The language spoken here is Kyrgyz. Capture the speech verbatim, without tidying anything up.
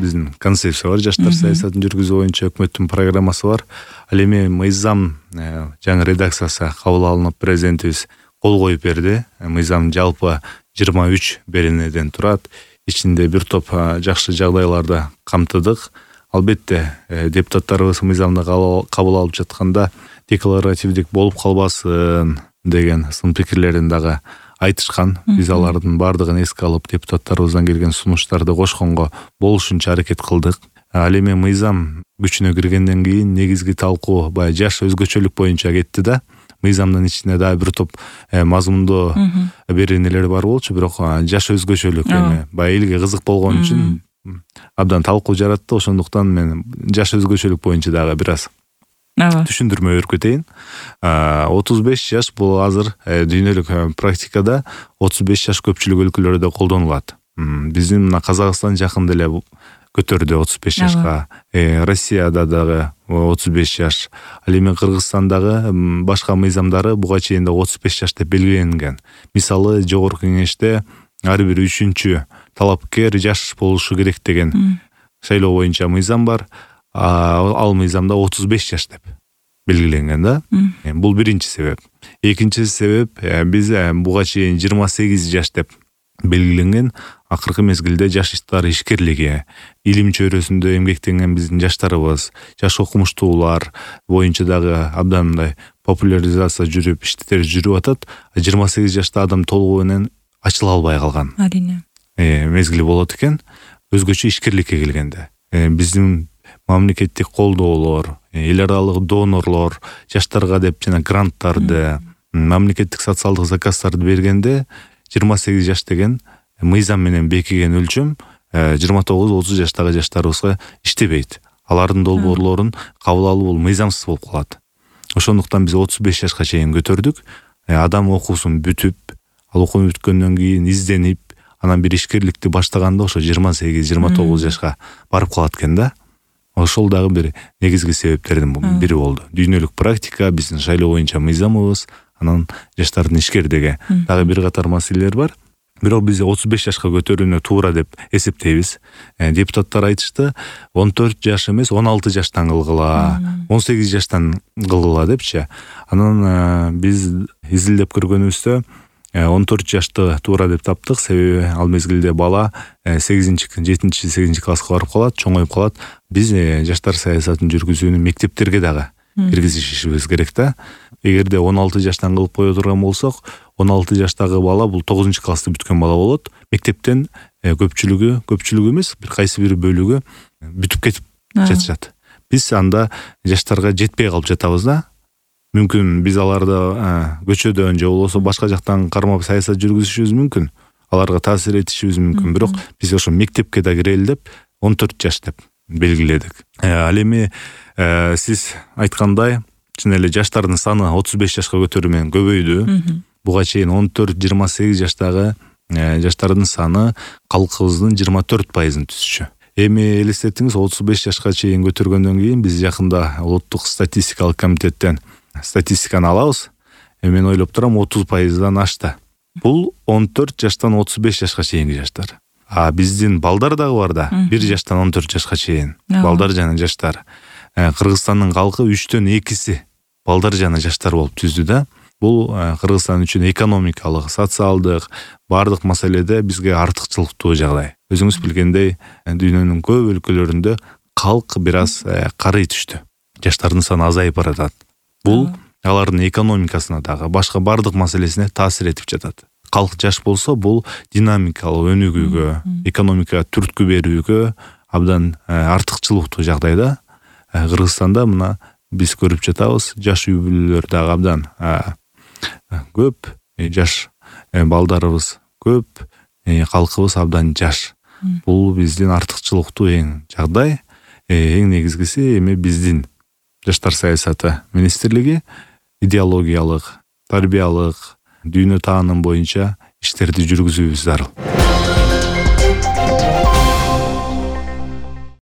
биздин концепция бар, жаштар саясатын жүргүзүү боюнча өкмөттүн программасы бар. Ал эми мыйзам жаңы редакциясы кабыл алынып, президентибиз кол коюп берди. Мыйзам жалпы жыйырма үч беренеден турат. Ичинде бир топ жакшы жагдайларды камтыдык. Албетте депутаттарыбыз мыйзамды кабыл алып жатканда декларативдик болуп калбасын деген сын пикирлерин дагы айтышкан. Биз алардын бардыгын эске алып, депутаттарыбыздан келген сунуштарды кошконго болушунча аракет кылдык. Ал эми мыйзам күчүнө киргенден кийин негизги талкуу баягы жаш өзгөчөлүк боюнча кетти да. Мыйзамдын ичинде дагы бир топ мазмундуу беренелер бар болчу, бирок жаш өзгөчөлүк эми баягы элге кызык болгон үчүн абдан талкуу жаратты. Ошондуктан мен жаш өзгөчөлүк боюнча дагы бир аз түшүндүрмө берип кетейин. отуз беш жаш бул азыр дүйнөлүк практикада отуз беш жаш көпчүлүк өлкөлөрдө колдонулат. Биздин мына Казакстан жакында эле көтөрдү отуз беш жашка. Россияда дагы отуз беш жаш. Ал эми Кыргызстандагы башка мыйзамдары буга чейин да отуз беш жаш деп белгиленген. Мисалы, жогорку кеңеште ар бир үчүнчү талапкер жаш болушу керек деген шайлоо боюнча мыйзам бар. Ал мыйзамда отуз беш жаш деп белгиленген да. Бул биринчи себеп. Экинчи себеп, биз буга чейин жыйырма сегиз жаш деп белгиленген. Акыркы мезгилде жаштар ишкерлиги, илим чөйрөсүндө эмгектенген биздин жаштарыбыз, жаш окумуштуулар боюнча дагы абдан мындай популяризация жүрүп, иштер жүрүп атат. жыйырма сегиз жашта адам толугу менен ачыла албай калган. Арийне. Мезгили болот экен. Өзгөчө ишкерликке келгенде. Биздин мамлекеттик колдоолор, эл аралык донорлор жаштарга деп жана гранттарды, мамлекеттик социалдык заказдарды бергенде жыйырма сегиз жаш деген мыйзам менен бекиген өлчөм жыйырма тогуз отуз жаштагы жаштарыбызга иштебейт. Алардын долбоорлорун кабыл алуу бул мыйзамсыз болуп калат. Ошондуктан биз отуз беш жашка чейин көтөрдүк. Адам окуусун бүтүп, ал окуу бүткөндөн кийин изденип, анан бир ишкерликти баштаганда ошо жыйырма сегиз жыйырма тогуз жашка барып калат экен да. Ошол дагы бир негизги себептердин бири болду. Дүйнөлүк практика, биздин шайлоо боюнча мыйзамыбыз, анан жаштардын ишкердиги дагы бир катар маселелер бар. Бирок биз отуз беш жашка көтөрүүнү туура деп эсептейбиз. Депутаттар айтышты, он төрт жаш эмес, он алты жаштан кылгыла, он сегиз жаштан кылгыла депчи. Анан биз изилдеп көргөнүбүздө он төрт жашты туура деп таптык. Себеби ал мезгилде бала сегизинчи, жетинчи, сегизинчи класска барып калат, чоңоюп калат. Биз жаштар саясатын жүргүзүүнү мектептерге дагы киргизишибиз керек да. Эгерде он алты жаштан кылып кое турган болсок, он алты жаштагы бала бул тогузунчу классты бүткөн бала болот. Мектептен көпчүлүгү, көпчүлүгү эмес, бир кайсы бир бөлүгү бүтүп кетип жатышат. Биз анда жаштарга жетпей калып жатабыз да. Мүмкүн биз аларды көчөдөн же болбосо башка жактан кармап саясат жүргүзүшүбүз мүмкүн. Аларга таасир этишибиз мүмкүн. Бирок биз ошо мектепке да кирели деп он төрт жаш деп белгиледик. Ал эми сиз айткандай, чын эле жаштардын саны отуз беш жашка көтөрүү менен көбөйдү. Буга чейин он төрт жыйырма сегиз жаштагы жаштардын саны калкыбыздын жыйырма төрт пайызын түзчү. Эми элестетиңиз, отуз беш жашка чейин көтөргөндөн кийин биз жакында улуттук статистикалык комитеттен статистиканы алабыз. Мен ойлоп турам, отуз пайыздан ашты. Бул он төрт жаштан отуз беш жашка чейинки жаштар. А биздин балдар дагы бар да, бир жаштан он төрт жашка чейин. Балдар жана жаштар. Кыргызстандын калкы үчтөн экиси балдар жана жаштар болуп түздү да. Бул Кыргызстан үчүн экономикалык, социалдык бардык маселеде бизге артыкчылыктуу жагдай. Өзүңүз билгендей, дүйнөнүн көп өлкөлөрүндө калк бир аз карый түштү. Жаштардын саны азайып баратат. Бул алардын экономикасына дагы, башка бардык маселесине таасир этип жатат. Калк жаш болсо, бул динамикалык өнүгүүгө, экономика түрткү берүүгө абдан артыкчылыктуу жагдайда. Кыргызстанда мына биз көрүп жатабыз, жаш үй бүлөлөр дагы абдан көп, жаш балдарыбыз көп, калкыбыз абдан жаш. Бул биздин артыкчылыктуу эң жагдай. Эң негизгиси эми биздин жаштар саясаты министрлиги идеологиялык, тарбиялык, дүйнө тааным боюнча иштерди жүргүзүүбүз зарыл.